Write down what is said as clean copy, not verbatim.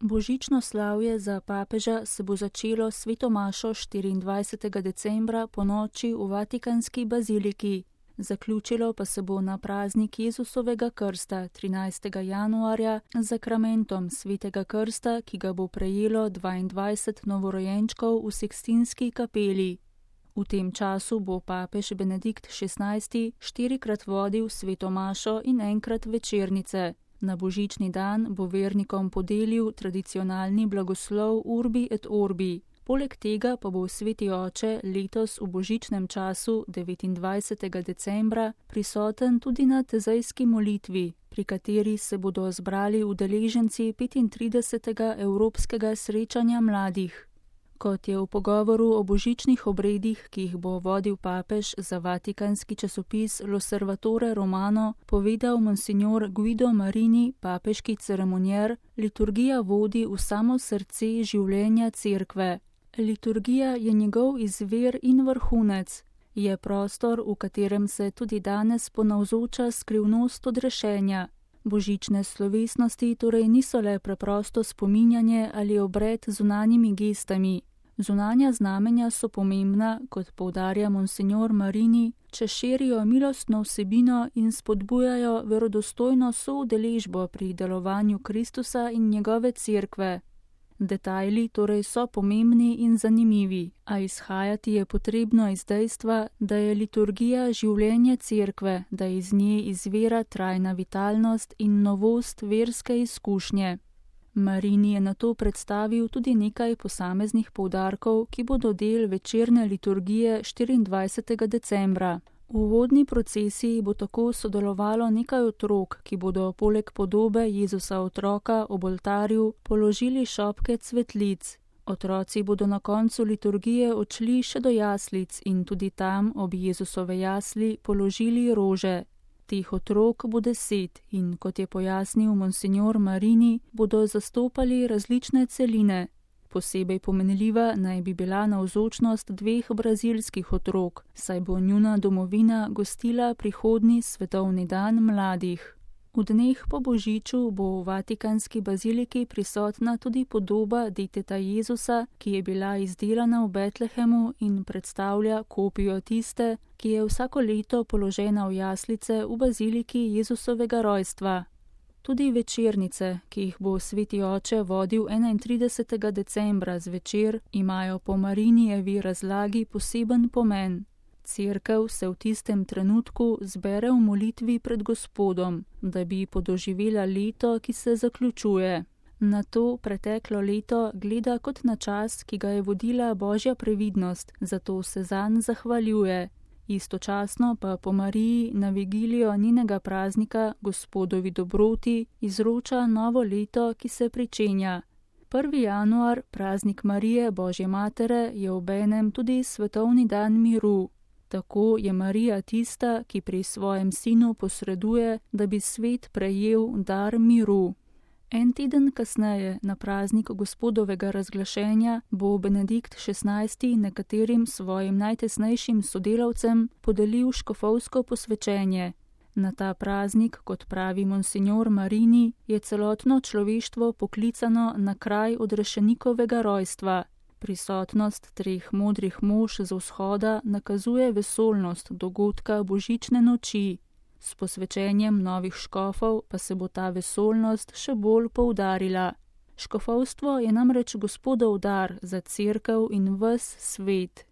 Božično slavje za papeža se bo začelo s sveto mašo 24. decembra ponoči v Vatikanski baziliki. Zaključilo pa se bo na praznik Jezusovega krsta 13. januarja z zakramentom svetega krsta, ki ga bo prejelo 22 novorojenčkov v Sikstinski kapeli. V tem času bo papež Benedikt XVI 4-krat vodil sveto mašo in enkrat večernice. Na božični dan bo vernikom podelil tradicionalni blagoslov Urbi et Orbi. Poleg tega pa bo sveti oče letos v božičnem času 29. decembra prisoten tudi na tezejski molitvi, pri kateri se bodo zbrali udeleženci 35. Evropskega srečanja mladih. Kot je v pogovoru o božičnih obredih, ki jih bo vodil papež za vatikanski časopis L'Osservatore Romano, povedal monsignor Guido Marini, papeški ceremonjer, liturgija vodi v samo srce življenja cerkve. Liturgija je njegov izvir in vrhunec. Je prostor, v katerem se tudi danes ponavzoča skrivnost odrešenja. Božične slovesnosti torej niso le preprosto spominjanje ali obred z zunanjimi gestami. Zunanja znamenja so pomembna, kot poudarja monsignor Marini, če širijo milostno vsebino in spodbujajo verodostojno soudeležbo pri delovanju Kristusa in njegove cerkve. Detajli torej so pomembni in zanimivi, a izhajati je potrebno iz dejstva, da je liturgija življenje cerkve, da iz nje izvira trajna vitalnost in novost verske izkušnje. Marini je nato predstavil tudi nekaj posameznih poudarkov, ki bodo del večerne liturgije 24. decembra. V uvodni procesiji bo tako sodelovalo nekaj otrok, ki bodo poleg podobe Jezusa otroka ob oltarju položili šopke cvetlic. Otroci bodo na koncu liturgije odšli še do jaslic in tudi tam ob Jezusove jasli položili rože. Teh otrok bo 10 in, kot je pojasnil monsignor Marini, bodo zastopali različne celine. Posebej pomenljiva naj bi bila navzočnost 2 brazilskih otrok, saj bo njuna domovina gostila prihodnji svetovni dan mladih. V dneh po božiču bo v Vatikanski baziliki prisotna tudi podoba deteta Jezusa, ki je bila izdelana v Betlehemu in predstavlja kopijo tiste, ki je vsako leto položena v jaslice v baziliki Jezusovega rojstva. Tudi večernice, ki jih bo sveti oče vodil 31. decembra zvečer, imajo po Marinijevi razlagi poseben pomen. Cerkev se v tistem trenutku zbere v molitvi pred Gospodom, da bi podoživela leto, ki se zaključuje. Na to preteklo leto gleda kot na čas, ki ga je vodila Božja previdnost, zato se zanj zahvaljuje. Istočasno pa po Mariji na vigilijo njenega praznika, Gospodovi dobroti, izroča novo leto, ki se pričenja. 1. januar, praznik Marije Božje matere, je obenem tudi svetovni dan miru. Tako je Marija tista, ki pri svojem sinu posreduje, da bi svet prejel dar miru. En teden kasneje, na praznik Gospodovega razglašenja, bo Benedikt XVI nekaterim svojim najtesnejšim sodelavcem podelil škofovsko posvečenje. Na ta praznik, kot pravi monsignor Marini, je celotno človeštvo poklicano na kraj odrešenikovega rojstva. Prisotnost 3 modrih mož z vzhoda nakazuje vesoljnost dogodka božične noči. S posvečenjem novih škofov pa se bo ta vesoljnost še bolj poudarila. Škofovstvo je namreč Gospodov dar za cerkev in ves svet.